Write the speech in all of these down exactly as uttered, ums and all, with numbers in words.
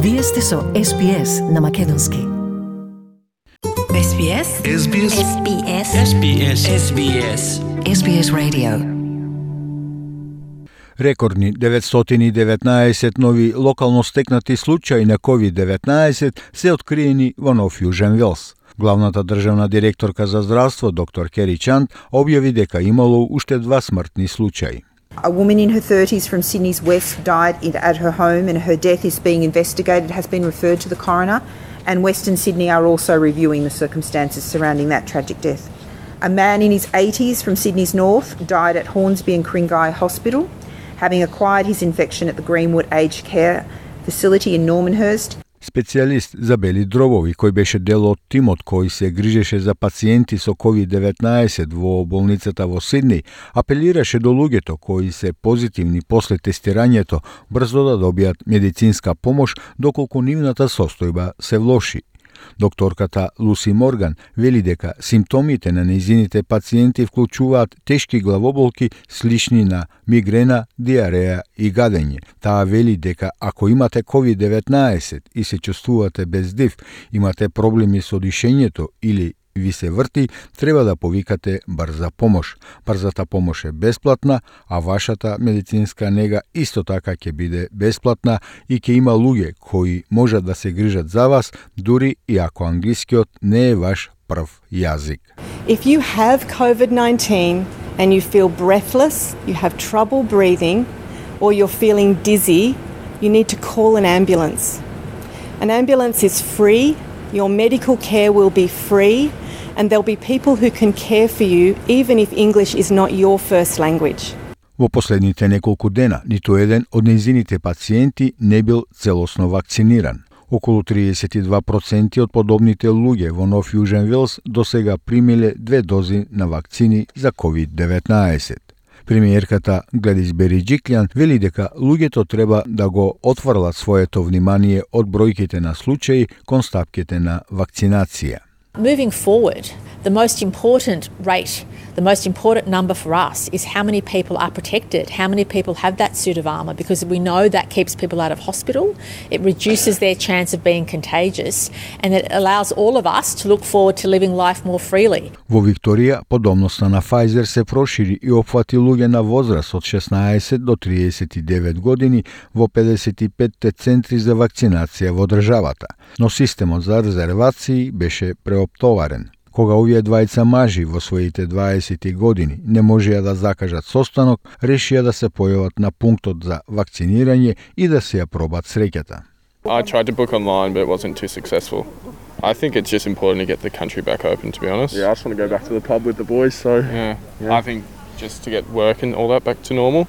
Вие сте со Ес Би Ес на македонски. Ес Би Ес? Ес Би Ес? Ес Би Ес? Ес Би Ес? Ес Би Ес? Ес Би Ес Radio. Рекордни деветстотини и деветнаесет нови локално стекнати случаи на ковид деветнаесет се откриени во Нов Јужен Велс. Главната државна директорка за здравство, доктор Кери Чанд, објави дека имало уште два смртни случаи. A woman in her thirties from Sydney's west died at her home and her death is being investigated, has been referred to the coroner, and Western Sydney are also reviewing the circumstances surrounding that tragic death. A man in his eighties from Sydney's north died at Hornsby and Kringai Hospital, having acquired his infection at the Greenwood Aged Care Facility in Normanhurst. Специјалист за бели дробови, кој беше дел од тимот кој се грижеше за пациенти со ковид деветнаесет во болницата во Сидни, апелираше до луѓето кои се позитивни после тестирањето брзо да добијат медицинска помош доколку нивната состојба се влоши. Докторката Луси Морган вели дека симптомите на нејзините пациенти вклучуваат тешки главоболки слични на мигрена, диареја и гадење. Таа вели дека ако имате ковид деветнаесет и се чувствувате без див, имате проблеми со дишењето или ви се врти, треба да повикате брза помош. Брзата помош е бесплатна, а вашата медицинска нега исто така ќе биде бесплатна и ќе има луѓе кои можат да се грижат за вас, дури и ако англискиот не е ваш прв јазик. If you have COVID nineteen and you feel breathless, you have trouble breathing, or you're feeling dizzy, you need to call an ambulance. An ambulance is free, your medical care will be free, and there'll be people who can care for you even if English is not your first language. Во последните неколку дена, ниту еден од нејзините пациенти не бил целосно вакциниран. Околу триесет и два проценти од подобните луѓе во Нов Јужен Велс досега примиле две дози на вакцини за ковид деветнаесет. Премиерката Гладис Бериџиклјан вели дека луѓето треба да го отфрлат своето внимание од бројките на случаи кон стапките на вакцинација. Moving forward, the most important rate, the most important number for us is how many people are protected, how many people have that suit of armour, because we know that keeps people out of hospital, it reduces their chance of being contagious, and it allows all of us to look forward to living life more freely. Во Викторија, подобноста на Pfizer се прошири и опфати луѓе на возраст од шеснаесет до триесет и девет години во педесет и пет центри за вакцинација во државата, но системот за резервации беше преоптоварен. Кога овие двајца мажи во своите дваесет години не можеа да закажат состанок, решија да се појават на пунктот за вакцинирање и да се ја пробат среќата. I tried to book online, but it wasn't too successful. I think it's just important to get the country back open, to be honest. Yeah, I just want to go back to the pub with the boys, so... Yeah, yeah. I think just to get work and all that back to normal,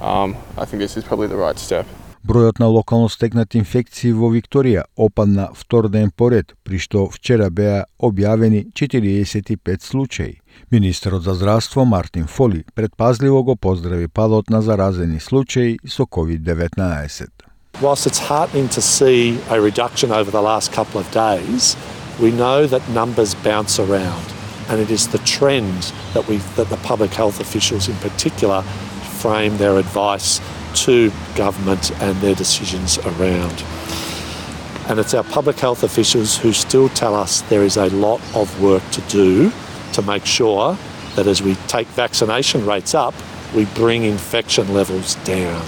um, I think this is probably the right step. Бројот на локално стекнати инфекции во Викторија опадна втор ден поред, при што вчера беа објавени четириесет и пет случаи. Министерот за здравство Мартин Фоли предпазливо го поздрави падот на заразени случаи со ковид деветнаесет. Whilst it's heartening to see a reduction over the last couple of days, we know that numbers bounce around, and it is the trend that we that the public health officials in particular frame their advice to government and their decisions around. And it's our public health officials who still tell us there is a lot of work to do to make sure that as we take vaccination rates up, we bring infection levels down.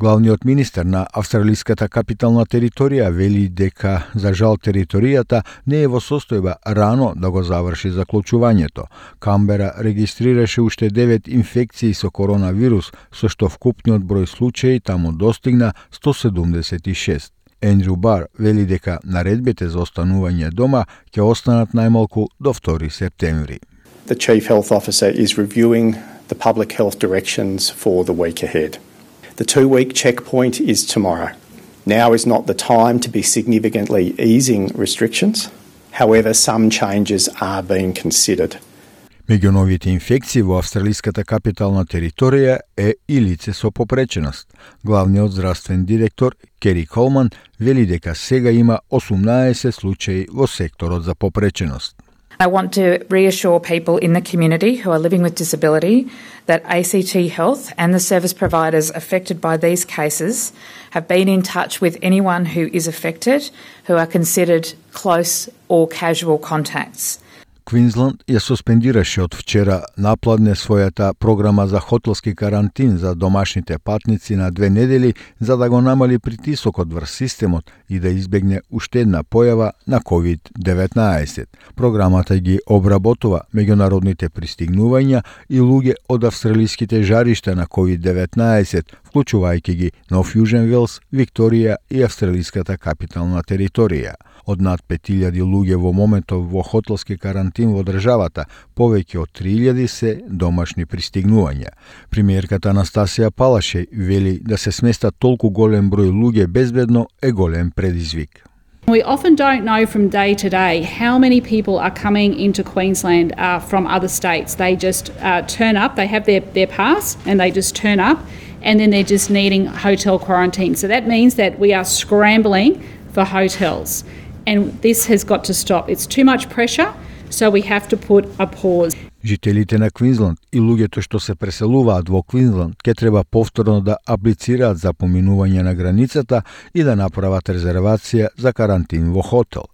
Главниот министер на австралиската капитална територија вели дека, за жал, територијата не е во состојба рано да го заврши заклучувањето. Камбера регистрираше уште девет инфекции со коронавирус, со што вкупниот број случаи таму достигна сто седумдесет и шест. Ендрю Бар вели дека наредбите за останување дома ќе останат најмалку до втори септември. The Chief Health Officer is reviewing the public health directions for the week ahead. The two-week checkpoint is tomorrow. Now is not the time to be significantly easing restrictions. However, some changes are being considered. Меѓу новите инфекции во австралиската капитална територија е и лице со попреченост. Главниот здравствен директор Кери Колман вели дека сега има осумнаесет случаи во секторот за попреченост. I want to reassure people in the community who are living with disability that A C T Health and the service providers affected by these cases have been in touch with anyone who is affected who are considered close or casual contacts. Квинсленд ја суспендираше од вчера напладне својата програма за хотелски карантин за домашните патници на две недели за да го намали притисокот врз системот и да избегне уште една појава на ковид деветнаесет. Програмата ги обработува меѓународните пристигнувања и луѓе од австралиските жаришта на ковид деветнаесет, вклучувајќи ги Нов Јужен Велс, Викторија и австралиската капитална територија. Од над пет илјади луѓе во моментов во хотелски карантин во државата, повеќе од три илјади се домашни пристигнувања. Премиерката Анастасија Палашеј вели да се сместат толку голем број луѓе безбедно е голем предизвик. We often don't know from day to day how many people are coming into Queensland uh, from other states. They just uh, turn up, they have their, their pass and they just turn up and then they're just needing hotel quarantine. So that means that we are scrambling for hotels. And this has got to stop. It's too much pressure, so we have to put a pause. Жителите на Квинсленд и луѓето што се преселуваат во Квинсленд ќе треба повторно да аплицираат за поминување на границата и да направат резервација за карантин во хотел.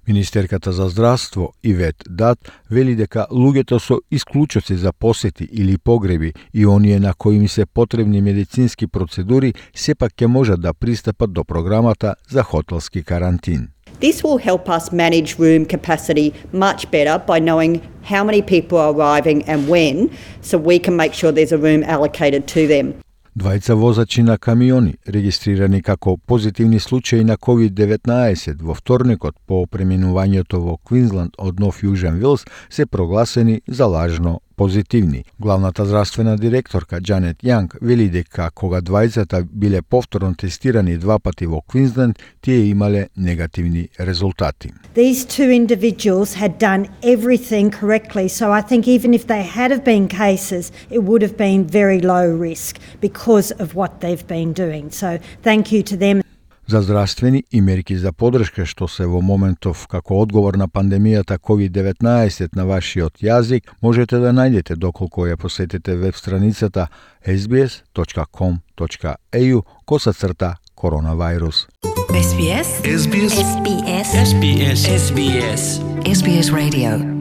Министерката за здравство Ивет Дат вели дека луѓето со исклучоци за посети или погреби и оние на кои им се потребни медицински процедури сепак ќе можат да пристапат до програмата за хотелски карантин. This will help us manage room capacity much better by knowing how many people are arriving and when, so we can make sure there's a room allocated to them. Двајца возачи на камиони, регистрирани како позитивни случаи на ковид деветнаесет во вторникот по преминувањето во Квинсленд од Нов Јужен Велс, се прогласени за лажно позитивни. Главната здравствена директорка Джанет Јанг вели дека кога двајцата биле повторно тестирани два пати во Квинсленд, тие имале негативни резултати. These two individuals had done everything correctly, so I think even if they had have been cases, it would have been very low risk because of what they've been doing. So thank you to them. За здравствени и мерки за подршка што се во моментов како одговор на пандемијата ковид деветнаесет на вашиот јазик, можете да најдете доколку ја посетите веб страницата ес би ес точка ком точка е ю косацрта коронавирус. ес би ес ес би ес ес би ес ес би ес ес би ес ес би ес Radio.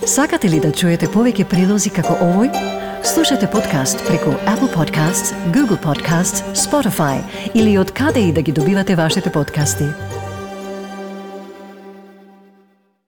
Сакате ли да чуете повеќе прилози како овој? Слушате подкаст преку Apple Podcasts, Google Podcasts, Spotify или од каде и да ги добивате вашите подкасти.